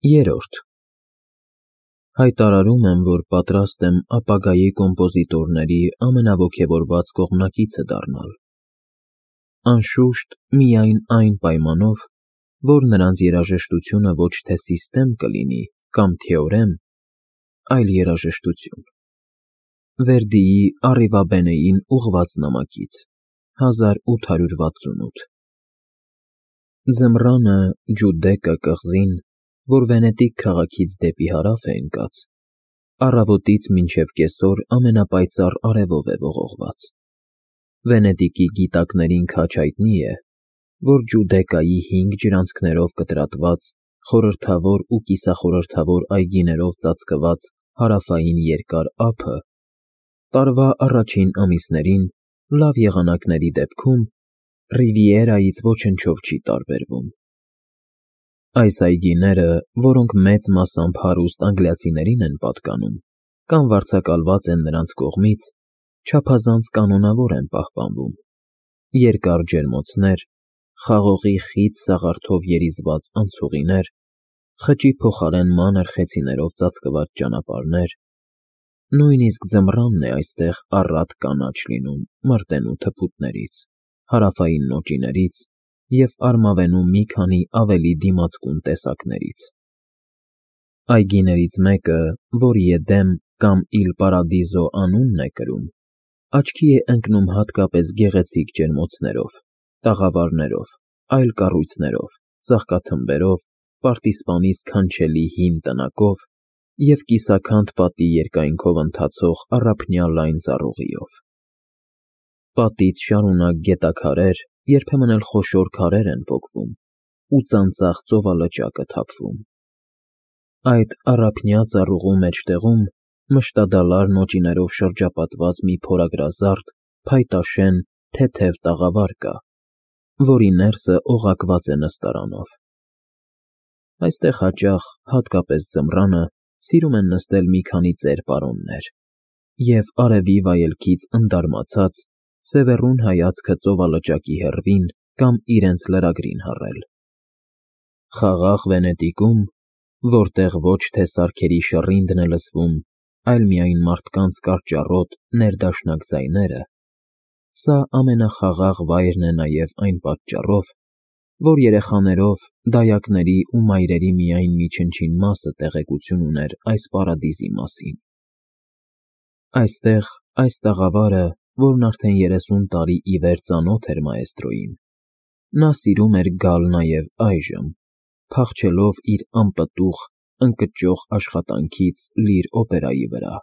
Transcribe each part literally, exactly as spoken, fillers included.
Երրորդ Հայտարարում եմ, որ պատրաստ եմ ապագայի կոմպոզիտորների ամենաոգևորված կողմնակիցը դառնալ, անշուշտ, միայն այն պայմանով, որ նրանց երաժշտությունը ոչ թե սիստեմ կլինի կամ թեորեմ, այլ երաժշտություն։ Վերդիի Առիվաբենեին ուղղված նամակից, հազար ութ հարյուր վաթսունութ Ձմռանը Ջուդեկա կղզին, որ Վենետիկ քաղաքից դեպի հարավ է ընկած, առավոտից մինչև կեսօր ամենապայծառ արևով է ողողված։ Վենետիկի գիտակներին քաջ հայտնի է, որ Ջուդեկայի հինգ ջրանցքներով կտրատված, խորհրդավոր ու կիսախորհրդավոր այգիներով ծածկված հարավային երկար ափը տարվա առաջին ամիսներին լավ եղանակների դեպքում Ռիվիերայից ոչնչով չի տարբերվում։ Այս այգիները, որոնք մեծ մասամբ հարուստ անգլիացիներին են պատկանում կամ վարձակալված են նրանց կողմից, չափազանց կանոնավոր են պահպանվում։ Երկար ջերմոցներ, խաղողի խիտ սաղարթով երիզված անցուղիներ, խճի փոխարեն մանր խեցիներով ծածկված ճանապարհներ, նույնիսկ ձմռանն է այստեղ առատ կանաչ լինում մրտենու թփուտներից, հարավային նոճիներից և արմավենու մի քանի ավելի դիմացկուն տեսակներից։ Այգիներից մեկը, որի Էդեմ կամ Իլ Պարադիզո անունն է կրում, աչքի է ընկնում հատկապես գեղեցիկ ջերմոցներով, տաղավարներով, այլ կառույցներով, ծաղկաթմբերով, պարտիզպանի սքանչելի հին տնակով և կիսաքանդ պատի երկայնքով ընթացող առափնյա լայն ծառուղիով։ Պատից շարունակ գետաքարեր, երբեմն էլ խոշոր քարեր են պոկվում ու ծանծաղ ծովալճակ է թափվում։ Այդ առափնյա ծառուղու մեջտեղում մշտադալար նոճիներով շրջապատված մի փորագրազարդ, փայտաշեն, թեթև տաղավար կա, որի ներսը օղակված է նստարանով։ Այստեղ հաճախ, հատկապես ձմռանը, սիրում են նստել մի քանի ծեր պարոններ և, արևի վայելքից ընդարմացած, սևեռուն հայացքը ծովալճակի հեռվին կամ իրենց լրագրին հառել։ Խաղաղ Վենետիկում, որտեղ ոչ թե սարքերի շռինդն է լսվում, այլ միայն մարդկանց կարճառոտ, ներդաշնակ ձայները, սա ամենախաղաղ վայրն է նաև այն պատճառով, որ երեխաներով, դայակների ու մայրերի միայն մի չնչին մասը տեղեկություն ուներ այս պարադիզի մասին։ Այստեղ, այս տաղավարը, որն արդեն երեսուն տարի ի վեր ծանոթ էր մաեստրոյին, նա սիրում էր գալ նաև այժմ, փախչելով իր անպտուղ, ընկճող աշխատանքից լիր օպերայի վրա։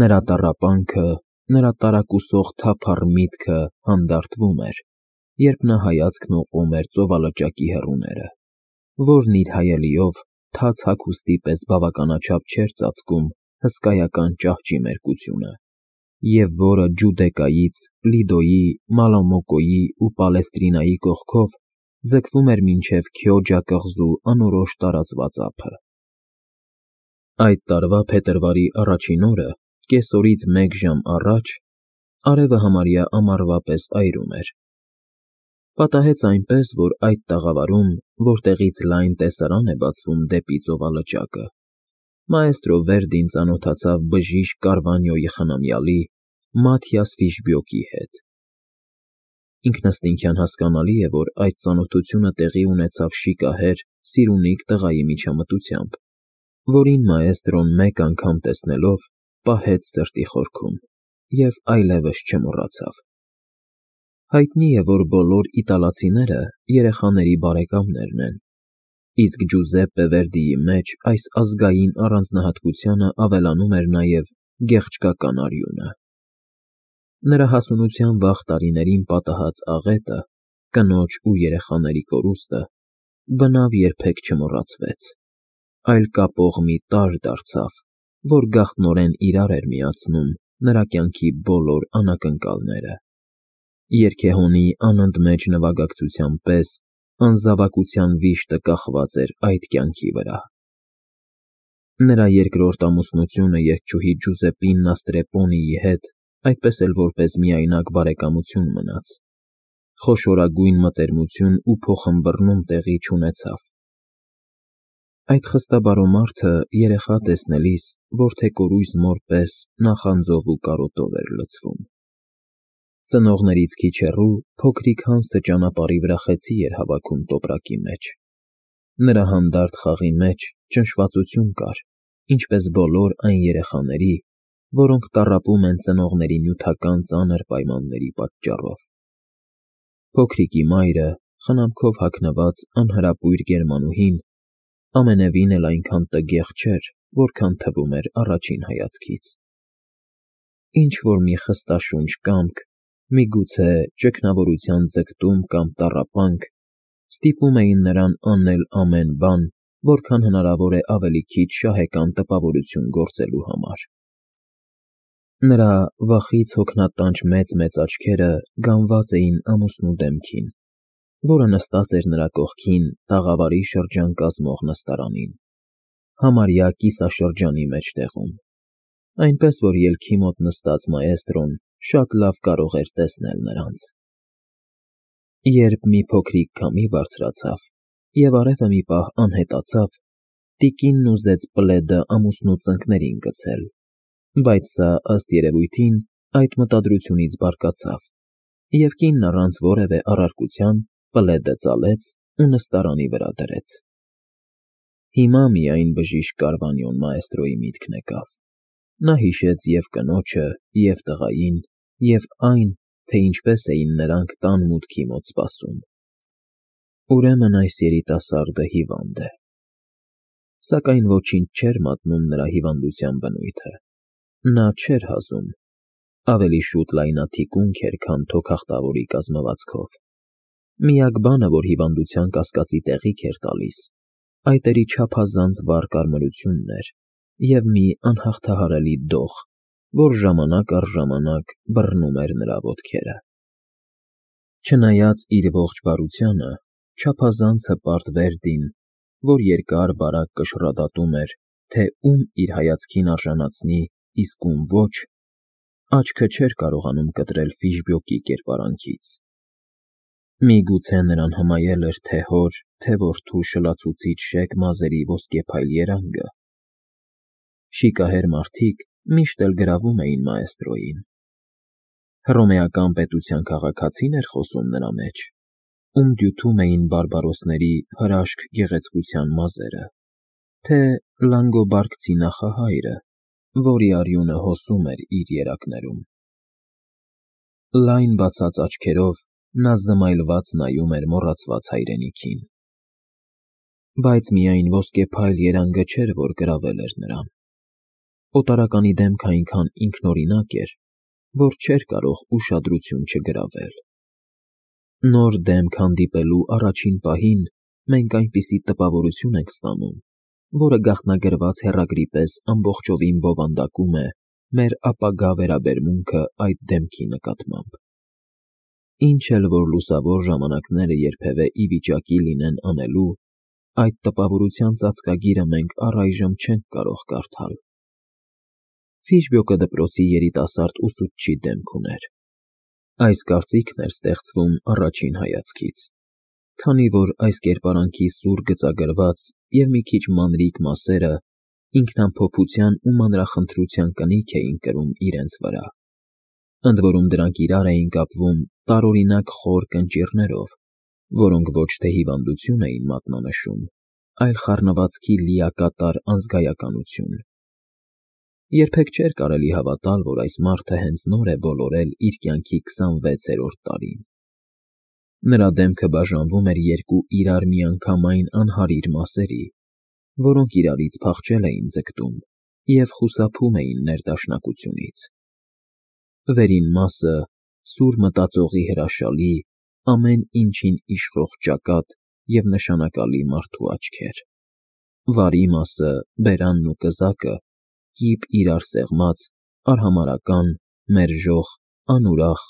Նրա տառապանքը, նրա տարակուսող թափառ միտքը հանդարտվում էր, երբ նա հայացքն ուղղում էր ծովալճակի հեռուները, որն իր հայելիով թաց հագուստի պես բավականաչափ չէր ծածկում հսկայական ճահճի մերկությունը, և որը Ջուդեկայից, Լիդոյի, Մալամոկոյի ու Պալեստրինայի կողքով ձգվում էր մինչև Քյոջա կղզու անորոշ տարածված ափը։ Այդ տարվա փետրվարի առաջին օրը, կեսօրից մեկ ժամ առաջ, արևը համարյա ամառվա պես այրում էր։ Պատահեց այնպես, որ այդ տաղավարում, որտեղից լայն տեսարան է բացվում դեպի ծովալճակը, մաեստրո Վերդին ծանոթացավ բժիշկ Կարվանյոյի խնամյալի Մաթիաս Ֆիշբյոկի հետ։ Ինքնըստինքյան հասկանալի է, որ այդ ծանոթությունը տեղի ունեցավ շիկահեր, սիրունիկ տղայի միջամտությամբ, որին մաեստրոն մեկ անգամ տեսնելով պահեց սրտի խորքում և այլևս չմոռացավ։ Հայտնի է, որ բոլոր իտալացիները երեխաների բարեկամներն են, իսկ Ջուզեպպե Վերդիի մեջ այս ազգային առանձնահատկությանը ավելանում էր նաև գեղչկական արյունը։ Նրա հասունության վաղ տարիներին պատահած աղետը, կնոջ ու երեխաների կորուստը, բնավ երբեք չմոռացվեց, այլ կապող մի տարր դարձավ, որ գաղտնորեն իրար էր միացնում նրա կյանքի բոլոր անակնկալները։ Երգեհոնի անընդմեջ նվագակցության պես անզավակության վիշտը կախված էր այդ կյանքի վրա։ Նրա երկրորդ ամուսնությունը երգչուհի Ջուզեպպինա Ստրեպոնիի հետ այդպես էլ որպես միայնակ բարեկամություն մնաց, խոշորագույն մտերմություն ու փոխըմբռնում տեղի չունեցավ։ Այդ խստաբարո մարդը երեխա տեսնելիս որդեկորույս մոր պես նախանձով ու կարոտով էր լցվում։ Ծնողներից քիչ հեռու փոքրիկ Հանսը ճանապարհի վրա խեցի էր հավաքում տոպրակի մեջ։ Նրա հանդարտ խաղի մեջ ճնշվածություն կար, ինչպես բոլոր այն երեխաների, որոնք տառապում են ծնողների նյութական ծանր պայմանների պատճառով։ Փոքրիկի մայրը, խնամքով հագնված անհրապույր գերմանուհին, ամենևին էլ այնքան տգեղ չէր, որքան թվում էր առաջին հայացքից։ Ինչ-որ մի խստաշունչ կամք, միգուցե ճգնավորության ձգտում կամ տառապանք, ստիպում էին նրան անել ամեն բան, որքան հնարավոր է ավելի քիչ շահեկան տպավորություն գործելու համար։ Նրա վախից հոգնատանչ մեծ-մեծ աչքերը գանված էին ամուսնու դեմքին, որը նստած էր նրա կողքին տաղավարի շրջան կազմող նստարանին, համարյա կիսաշրջանի մեջտեղում, այնպես որ ելքի մոտ նստած մաէստրոն շատ լավ կարող էր տեսնել նրանց։ Երբ մի փոքրիկ քամի բարձրացավ և արևը մի պահ անհետացավ, տիկինն ուզեց Պլեդը ամուսնու ծնկներին գցել, բայց սա, ըստ երևույթին, այդ մտադրությունից բարկացավ, և կինն առանց որևէ առարկության Պլեդը ծալեց ու նստարանի վրա դրեց։ Հիմա միայն բժիշկ Կարվանյոն մաէստրոյի միտքն եկավ։ Նա հիշեց և կնոջը, և տղային, և այն, թե ինչպես էին նրանք տան մուտքի մոտ սպասում։ Ուրեմն այս երիտասարդը հիվանդ է։ Սակայն ոչինչ չէր մատնում նրա հիվանդության բնույթը։ Նա չէր հազում, ավելի շուտ լայնաթիկունք էր, քան թոքախտավորի կազմվածքով։ Միակ բանը, որ հիվանդության կասկածի տեղիք էր տալիս, այդ էր չափազանց վառ կարմրությունն էր և մի անհաղթահարելի դող, որ ժամանակ առ ժամանակ բռնում էր նրա ոտքերը։ Չնայած իր ողջ բարությանը, չափազանց հպարտ Վերդին, որ երկար֊բարակ կշռադատում էր, թե ում իր հայացքին արժանացնի, իսկ ում ոչ, աչքը չէր կարողանում կտրել Ֆիշբյոկի կերպարանքից։ Միգուցե նրան հմայել էր թե՛ հոր, թե՛ որդու շլացուցիչ շեկ մազերի ոսկեփայլ երանգը։ Շիկահեր մարդիկ միշտ էլ գրավում էին մաէստրոյին։ Հռոմեական պետության քաղաքացի՞ն էր խոսում նրա մեջ, ում դյութում էին բարբարոսների հրաշք գեղեցկության մազերը, թե լանգոբարդցի նախահայրը, որի արյունը հոսում էր իր երակներում։ Լայն բացած աչքերով նա զմայլված նայում էր մոռացված հայրենիքին։ Բայց միայն ոսկեփայլ երանգը չէր, որ գրավել էր նրան։ Օտարականի դեմքը այնքան ինքնօրինակ էր, որ չէր կարող ուշադրություն չգրավել։ Նոր դեմք հանդիպելու առաջին պահին մենք այնպիսի տպավորություն ենք ստանում, որը գաղտնագրված հեռագրի պես ամբողջովին բովանդակում է մեր ապագա վերաբերմունքը այդ դեմքի նկատմամբ։ Ինչ էլ որ լուսավոր ժամանակները երբևէ ի վիճակի լինեն անելու, այդ տպավորության ծածկագիրը մենք առայժմ չենք կարող կարդալ։ Ֆիշբյոկը դպրոցի երիտասարդ ուսուցչի դեմք ուներ։ Այս կարծիքն էր ստեղծվում առաջին հայացքից, քանի որ այս կերպարանքի սուր գծագրված և մի քիչ մանրիկ մասերը ինքնամփոփության ու մանրախնդրության կնիք էին կրում իրենց վրա, ընդ որում դրանք իրար էին կապվում տարօրինակ խոր կնճիռներով, որոնք ոչ թե հիվանդություն էին մատնանշում, այլ խառնվածքի լիակատար անզգայականություն։ Երբեք չէր կարելի հավատալ, որ այս մարդը հենց նոր է բոլորել իր կյանքի քսանվեցերորդ տարին։ Նրա դեմքը բաժանվում էր երկու իրար միանգամայն անհարիր մասերի, որոնք իրարից փախչել էին ձգտում և խուսափում էին ներդաշնակությունից։ Վերին մասը սուր մտածողի հրաշալի, ամեն ինչին իշխող ճակատ և նշանակալի մարդու աչքեր։ Վարի մասը, բերանն ու կզակը, կիպ իրար սեղմած, արհամարհական, մերժող, անուրախ,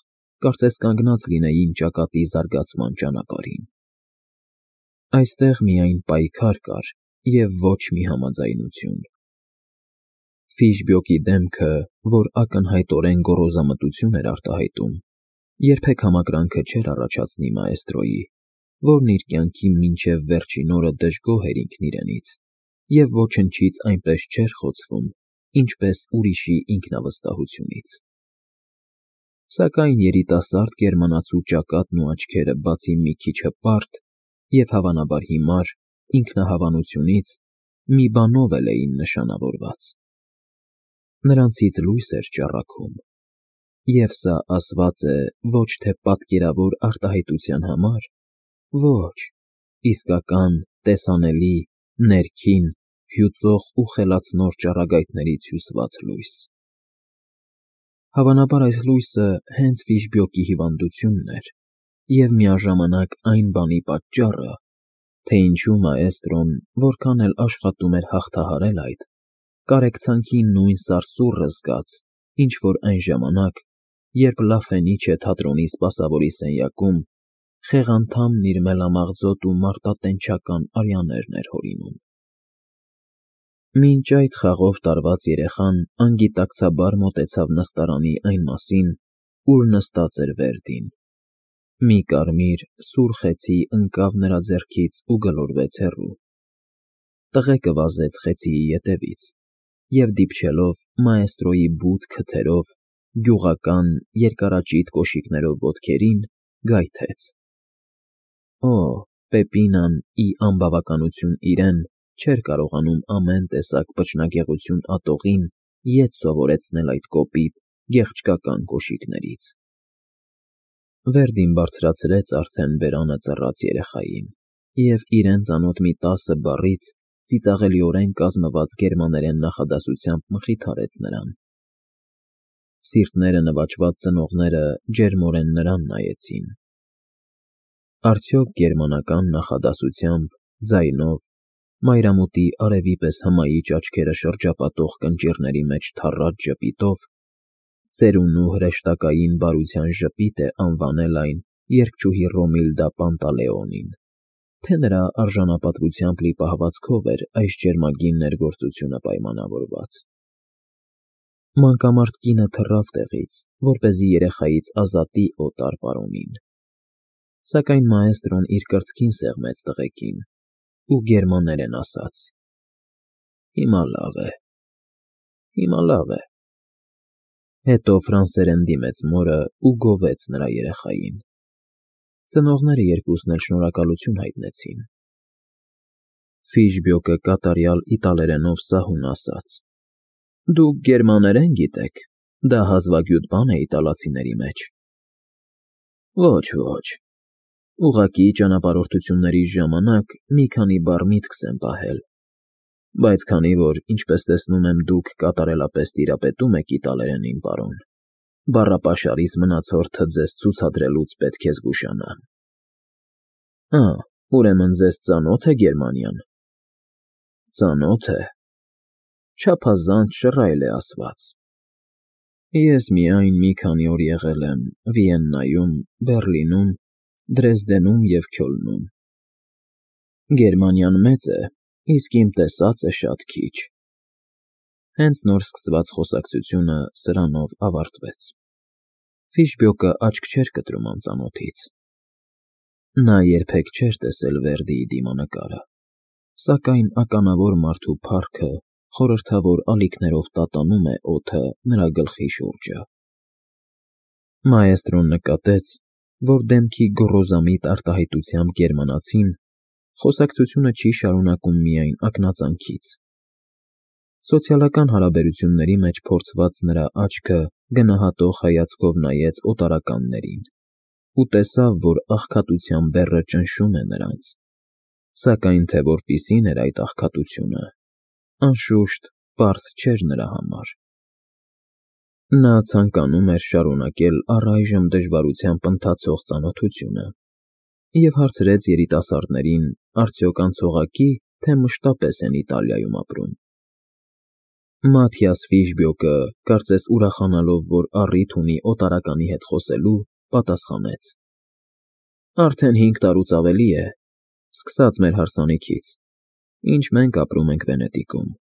կարծես կանգնած լինեին ճակատի զարգացման ճանապարհին։ Այստեղ միայն պայքար կար և ոչ մի համաձայնություն։ Ֆիշբյոկի դեմքը, որ ակնհայտորեն գոռոզամտություն էր արտահայտում, երբեք համակրանքը չէր առաջացնի մաէստրոյի, որն իր կյանքի մինչև վերջին օրը դժգոհ էր ինքն իրենից, և ոչնչից այնպես չէր խոցվում, ինչպես ուրիշի ինքնավստահությունից։ Սակայն երիտասարդ գերմանացու ճակատն ու աչքերը բացի մի քիչ հպարտ և հավանաբար հիմար ինքնահավանությունից, մի բանով էլ էին նշանավորված. նրանցից լույս էր ճառագում, և սա ասված է ոչ թե պատկերավոր արտահայտության համար, ոչ, իսկական, տեսանելի, ներքին, հյուծող ու խելացնոր ճառագայթներից հյուսված լույս։ Հավանաբար այս լույսը հենց Ֆիշբյոկի հիվանդությունն էր և միաժամանակ այն բանի պատճառը, թե ինչու մաէստրոն որքան էլ աշխատում էր հաղթահարել այդ, կարեկցանքի նույն սարսուռը զգաց, ինչ որ այն ժամանակ, երբ Լա Ֆենիչե թատրոնի սպասավորի սենյակում խեղանդամն իր մելամաղձոտ ու մարտատենչական արյաներն էր հորինում։ Մինչ այդ խաղով տարված երեխան անգիտակցաբար մոտեցավ նստարանի այն մասին, ուր նստած էր Վերդին։ Մի կարմիր, սուր խեցի ընկավ նրա ձեռքից ու գլորվեց հեռու։ Տղեկը վազեց խեցիի ետևից և, դիպչելով մաէստրոյի բութ քթերով, գյուղական, երկարաճիտ կոշիկներով ոտքերին, գայթեց. Օ, Պեպինան, ի անբավականություն իրեն, չէր կարողանում ամեն տեսակ փչնագեղություն ատողին ետ սովորեցնել այդ կոպիտ, գեղչկական կոշիկներից։ Վերդին բարձրացրեց արդեն բերանը ծռած երեխային և իրեն ծանոթ մի տասը բառից ծիծաղելիորեն կազմված գերմաներեն նախադասությամբ մխիթարեց նրան։ Սիրտները նվաճված ծնողները ջերմորեն նրան նայեցին։ Արդյոք գերմանական նախադասությամբ, ձայնով, մայրամուտի արևի պես հմայիչ աչքերը շրջապատող կնճիռների մեջ թառած ժպիտով, ծերունու հրեշտակային բարության ժպիտ է անվանել այն երգչուհի Ռոմիլդա Պանտալեոնին, թե նրա արժանապատվությամբ լի պահվածքով էր այս ջերմագին ներգործությունը պայմանավորված։ Մանկամարդ կինը թռավ տեղից, որպեսզի երեխայից ազատի օտար պարոնին։ Սակայն մաէստրոն իր կրծքին սեղմեց տղեկին ու գերմաներեն ասաց. Հիմա լավ է, հիմա լավ է։ Հետո ֆրանսերեն դիմեց մորը ու գովեց նրա երեխային։ Ծնողները երկուսն էլ շնորհակալություն հայտնեցին։ Ֆիշբյոկը կատարյալ իտալերենով սահուն ասաց. Դուք գերմաներեն գիտեք, դա հազվագյուտ բան է իտալացիների մեջ։ Ոչ, ոչ, ուղղակի ճանապարհորդությունների ժամանակ մի քանի բառ միտքս եմ պահել, բայց քանի որ, ինչպես տեսնում եմ, դուք կատարելապես տիրապետում եք իտալերենին, պարոն, բառապաշարիս մնացորդը ձեզ ցուցադրելուց պետք է զգուշանամ։ Ա, ուրեմն ձեզ ծանո՞թ է Գերմանիան։ Ծանոթ է։ Չափազանց շռայլ է ասված։ Ես միայն մի քանի օր եղել եմ Վիեննայում, Բեռլինում, Դրեզդենում և Քյոլնում։ Գերմանիան մեծ է, իսկ իմ տեսածը շատ քիչ։ Հենց նոր սկսված խոսակցությունը սրանով ավարտվեց։ Ֆիշբյոկը աչք չէր կտրում անծանոթից։ Նա երբեք չէր տեսել Վերդիի դիմանկարը, սակայն ականավոր մարդու փառքը խորհրդավոր ալիքներով տատանում է օդը նրա գլխի շուրջը։ Մաէստրոն նկատեց, որ դեմքի գոռոզամիտ արտահայտությամբ գերմանացին խոսակցությունը չի շարունակում միայն ակնածանքից։ Սոցիալական հարաբերությունների մեջ փորձված նրա աչքը գնահատող հայացքով նայեց օտարականներին ու տեսավ, որ աղքատության բեռը ճնշում է նրանց, սակայն թե որպիսին էր այդ աղքատությունը, անշուշտ, պարզ չէր նրա համար։ Նա ցանկանում էր շարունակել առայժմ դժվարությամբ ընթացող ծանոթությունը և հարցրեց երիտասարդներին, արդյոք անցողակի, թե մշտապես են Իտալիայում ապրում։ Մաթիաս Ֆիշբյոկը, կարծես ուրախանալով, որ առիթ ունի օտարականի հետ խոսելու, պատասխանեց. Արդեն հինգ տարուց ավելի է, սկսած մեր հարսանիքից, ինչ մենք ապրում ենք Վենետիկում,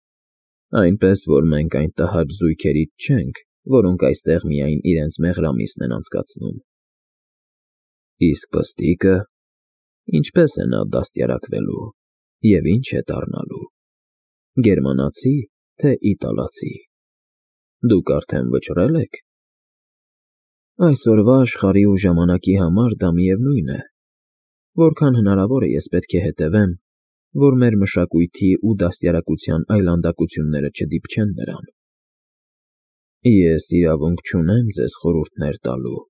այնպես որ մենք այն տհաճ զույգերից չենք, որոնք այստեղ միայն իրենց մեղրամիսն են անցկացնում։ Իսկ պստիկը, ինչպե՞ս է նա դաստիարակվելու և ինչ է դառնալու։ Գերմանացի, թե իտալացի։ Դուք արդեն վճռել եք։ Այսօրվա աշխարհի ու ժամանակի համար դա միևնույն է, որքան հնարավոր է ես պետք է հետևեմ, որ մեր մշակույթի ու դաստիարակության այլանդակությունները չդիպչեն նրան։ Ես իրավունք չունեմ ձեզ խորհուրդներ տալու,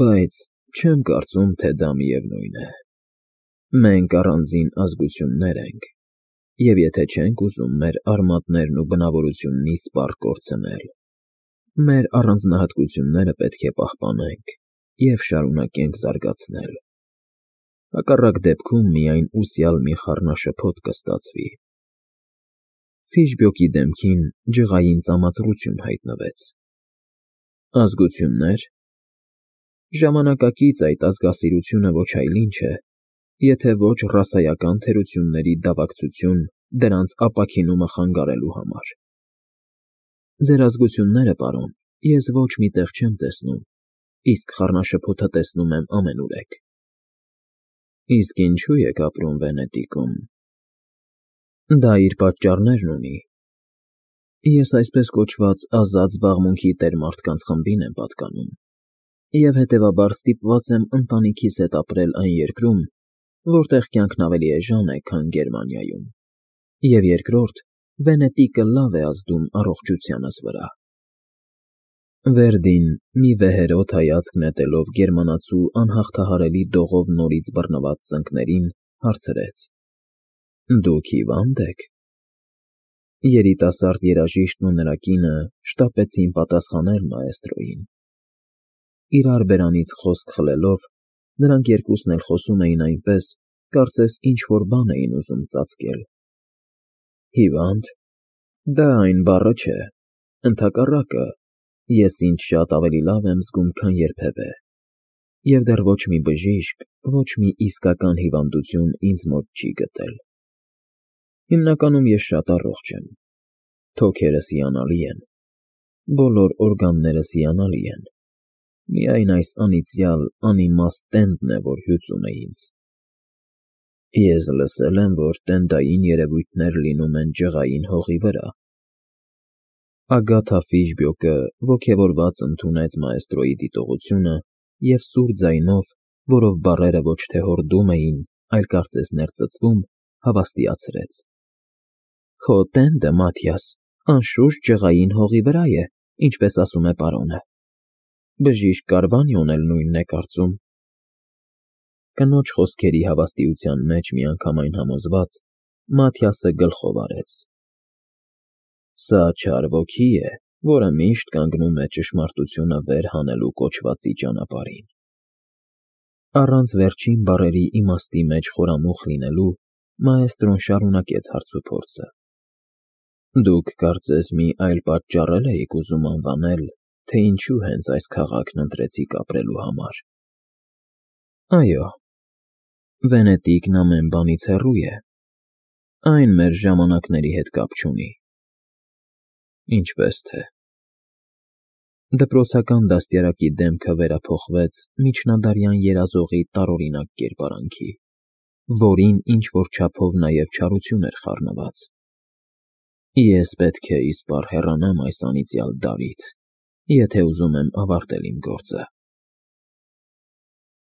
բայց չեմ կարծում, թե դա միևնույն է։ Մենք առանձին ազգություններ ենք, և եթե չենք ուզում մեր արմատներն ու բնավորությունն իսպառ կորցնել, մեր առանձնահատկությունները պետք է պահպանենք և շարունակենք զարգացնել։ Հակառակ դեպքում միայն ուսյալ մի խառնաշփոթ կստացվի։ Ֆիշբյոկի դեմքին ջղային ծամածռություն հայտնվեց։ Ազգություննե՞ր։ Ժամանակակից այդ ազգասիրությունը ոչ այլ ինչ է, եթե ոչ ռասայական թերությունների դավակցություն դրանց ապաքինումը խանգարելու համար։ Ձեր ազգությունները, պարոն, ես ոչ մի տեղ չեմ տեսնում, իսկ խառնաշփոթը տեսնում եմ ամենուրեք։ Իսկ ինչո՞ւ եք ապրում Վենետիկում։ Դա իր պատճառներն ունի։ Ես այսպես կոչված ազատ զբաղմունքի տեր մարդկանց խմբին եմ պատկանում, և հետևաբար ստիպված եմ ընտանիքիս հետ ապրել այն երկրում, որտեղ կյանքն ավելի էժան է, քան Գերմանիայում, և երկրորդ, Վենետիկը լավ է ազդում առողջությանս վրա։ Վերդին, մի վեհերաս հայացք նետելով գերմանացու անհաղթահարելի դողով նորից բռնված ծնկներին, հարցրեց. Դուք հիվա՞նդ եք։ Երիտասարդ երաժիշտն ու նրա կինը շտապեցին պատասխանել մաէստրոյին։ Իրար բերանից խոսք խլելով, նրանք երկուսն էլ խոսում էին այնպես, կարծես ինչ֊որ բան էին ուզում ծածկել։ Հիվա՞նդ։ Դա այն բառը չէ, ընդհակառակը, ես ինձ շատ ավելի լավ եմ զգում, քան երբևէ, և դեռ ոչ մի բժիշկ, ոչ մի իսկական հիվանդություն ինձ մոտ չի գտել։ Հիմնականում ես շատ առողջ եմ, թոքերս հիանալի են, բոլոր օրգաններս հիանալի են, միայն այս անիծյալ, անիմաստ տենդն է, որ հյուծում է ինձ։ Ես լսել եմ, որ տենդային երևույթներ լինում են ջղային հողի վրա։ Ագաթա Ֆիշբյոկը ոգևորված ընդունեց մաէստրոյի դիտողությունը և սուր ձայնով, որով բառերը ոչ թե հորդում էին, այլ կարծես ներծծվում, հավաստիացրեց. Քո տենդը, Մաթիաս, անշուշտ ջղային հողի վրա է, ինչպես ասում է պարոնը։ Բժիշկ Կարվանյոն էլ նույնն է կարծում։ Կնոջ խոսքերի հավաստիության մեջ միանգամայն համոզված, Մաթիասը գլխով արեց. Սա չար ոգի է, որը միշտ կանգնում է ճշմարտությունը վեր հանելու կոչվածի ճանապարհին։ Առանց վերջին բառերի իմաստի մեջ խորամուխ լինելու, մաէստրոն շարունակեց հարցուփորձը. Դուք կարծես մի այլ պատճառ էլ էիք ուզում անվանել, թե ինչու հենց այս քաղաքն ընտրեցիք ապրելու համար։ Այո, Վենետիկն ամեն բանից հեռու է, այն մեր ժամանակների հետ կապ չունի։ Ինչպես թե։ Դպրոցական դաստիարակի դեմքը վերափոխվեց միջնադարյան երազողի տարօրինակ կերպարանքի, որին ինչ֊որ չափով նաև չարություն էր խառնված։ Ես պետք է իսպառ հեռանամ այս անիծյալ դարից, եթե ուզում եմ ավարտել իմ գործը։